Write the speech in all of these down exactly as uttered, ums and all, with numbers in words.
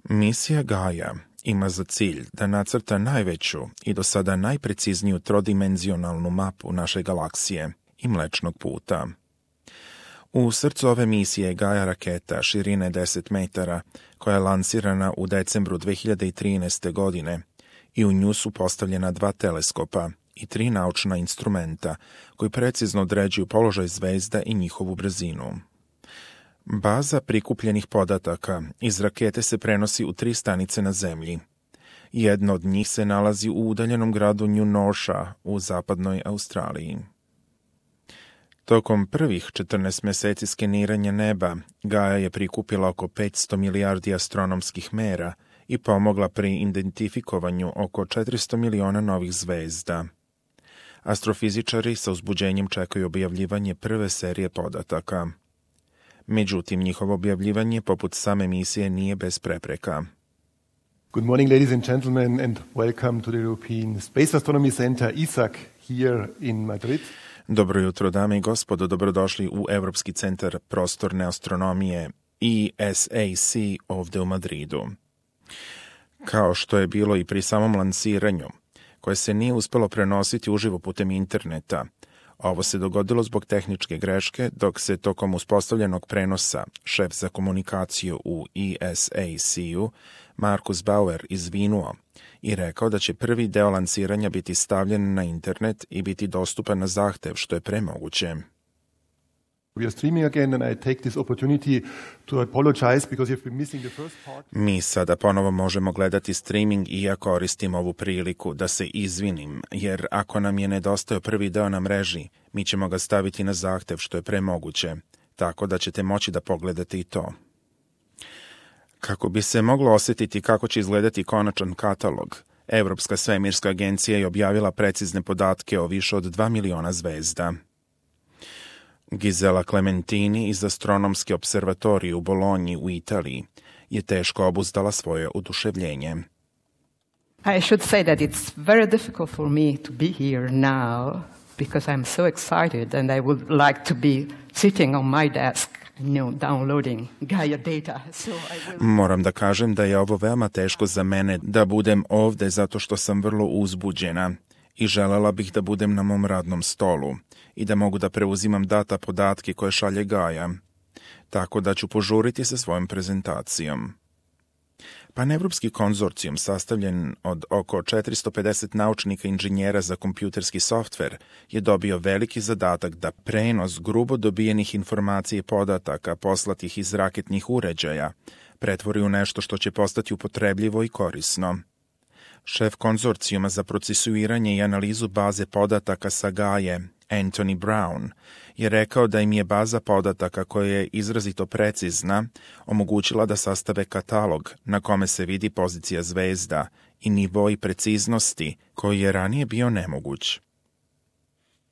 Misija Gaia ima za cilj da nacrta najveću i do sada najprecizniju trodimenzionalnu mapu naše galaksije i Mlečnog puta. U srcu ove misije je Gaia raketa širine deset metara, koja je lansirana u decembru dve hiljade trinaeste. godine i u nju su postavljena dva teleskopa i tri naučna instrumenta koji precizno određuju položaj zvezda i njihovu brzinu. Baza prikupljenih podataka iz rakete se prenosi u tri stanice na Zemlji. Jedna od njih se nalazi u udaljenom gradu New Norsha u zapadnoj Australiji. Tokom prvih četrnaest meseci skeniranja neba, Gaia je prikupila oko petsto milijardi astronomskih mera i pomogla pri identifikovanju oko četiristo miliona novih zvezda. Astrofizičari sa uzbuđenjem čekaju objavljivanje prve serije podataka. Međutim, njihovo objavljivanje, poput same misije, nije bez prepreka. Good morning, ladies and gentlemen, and welcome to the European Space Astronomy Center E S A C here in Madrid. Dobro jutro, dame i gospodo, dobrodošli u Evropski centar prostorne astronomije E S A C ovde u Madridu. Kao što je bilo i pri samom lansiranju, koje se nije uspelo prenositi uživo putem interneta, ovo se dogodilo zbog tehničke greške, dok se tokom uspostavljenog prenosa šef za komunikaciju u E S A C-u, Markus Bauer, izvinuo i rekao da će prvi deo lansiranja biti stavljen na internet i biti dostupan na zahtev što je premoguće. Mi sada ponovo možemo gledati streaming i ja koristim ovu priliku da se izvinim, jer ako nam je nedostao prvi deo na mreži, mi ćemo ga staviti na zahtev što je premoguće, tako da ćete moći da pogledate i to. Kako bi se moglo osjetiti kako će izgledati konačan katalog, Evropska svemirska agencija je objavila precizne podatke o više od dva miliona zvezda. Gisela Clementini iz Astronomske observatorije u Bolonji u Italiji je teško obuzdala svoje oduševljenje. I should say that it's very difficult for me to be here now because I'm so excited and I would like to be sitting on my desk, you know, downloading Gaia data. So I will... Moram da kažem da je ovo veoma teško za mene da budem ovde zato što sam vrlo uzbuđena i želela bih da budem na mom radnom stolu i da mogu da preuzimam data podatke koje šalje Gaia, tako da ću požuriti sa svojom prezentacijom. Panevropski konzorcijum, sastavljen od oko četiristo pedeset naučnika i inženjera za kompjuterski softver, je dobio veliki zadatak da prenos grubo dobijenih informacija i podataka poslatih iz raketnih uređaja pretvori u nešto što će postati upotrebljivo i korisno. Šef konzorcijuma za procesuiranje i analizu baze podataka sa Gaie, Anthony Brown, je rekao da im je baza podataka koja je izrazito precizna omogućila da sastave katalog na kome se vidi pozicija zvezda i nivoi preciznosti koji je ranije bio nemoguć.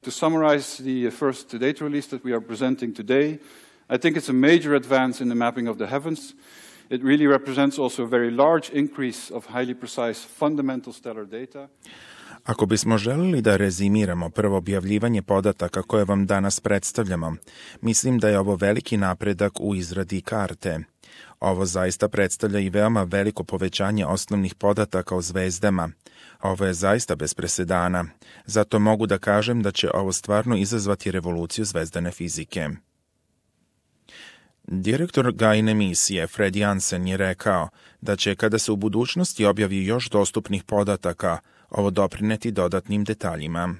To summarize the first data release that we are presenting today, I think it's a major advance in the mapping of the heavens. It really represents also a very large increase of highly precise fundamental stellar data. Ako bismo želili da rezimiramo prvo objavljivanje podataka koje vam danas predstavljamo, mislim da je ovo veliki napredak u izradi karte. Ovo zaista predstavlja i veoma veliko povećanje osnovnih podataka o zvezdama. Ovo je zaista bez presedana, zato mogu da kažem da će ovo stvarno izazvati revoluciju zvezdane fizike. Direktor Gaine misije Fred Jansen je rekao da će, kada se u budućnosti objavi još dostupnih podataka, ovo doprineti dodatnim detaljima.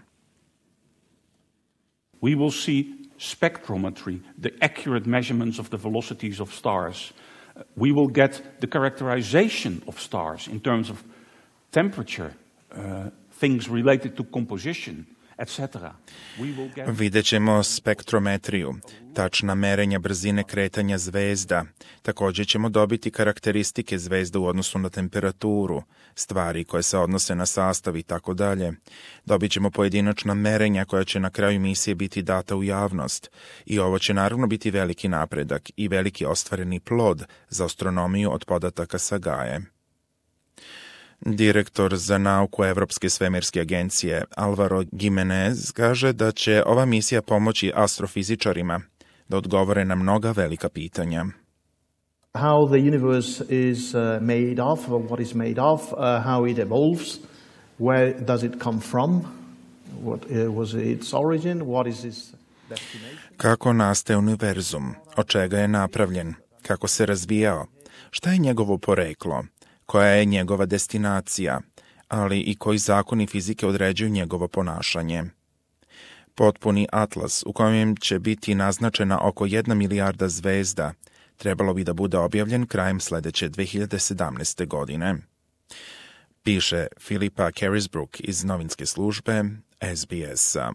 We will see spectrometry, the accurate measurements of the velocities of stars. We will get the characterization of stars in terms of temperature, uh, things related to composition, et cetera. Vidjet ćemo spektrometriju, tačna merenja brzine kretanja zvezda. Također ćemo dobiti karakteristike zvezda u odnosu na temperaturu, stvari koje se odnose na sastav i tako dalje. Dobit ćemo pojedinačna merenja koja će na kraju misije biti data u javnost. I ovo će naravno biti veliki napredak i veliki ostvareni plod za astronomiju od podataka sa Gaie. Direktor za nauku Evropske svemirske agencije Alvaro Gimenez kaže da će ova misija pomoći astrofizičarima da odgovore na mnoga velika pitanja. how the universe is uh, made of, or what is made of, uh, how it evolves, where does it come from, what uh, was its origin, what is its destination. Kako nastaje univerzum, od čega je napravljen, kako se razvijao, šta je njegovo poreklo, koja je njegova destinacija, ali i koji zakoni fizike određuju njegovo ponašanje. Potpuni atlas u kojem će biti naznačena oko jedna milijarda zvezda trebalo bi da bude objavljen krajem sledeće dve hiljade sedamnaeste. godine. Piše Filipa Carisbrook iz novinske službe S B S-a.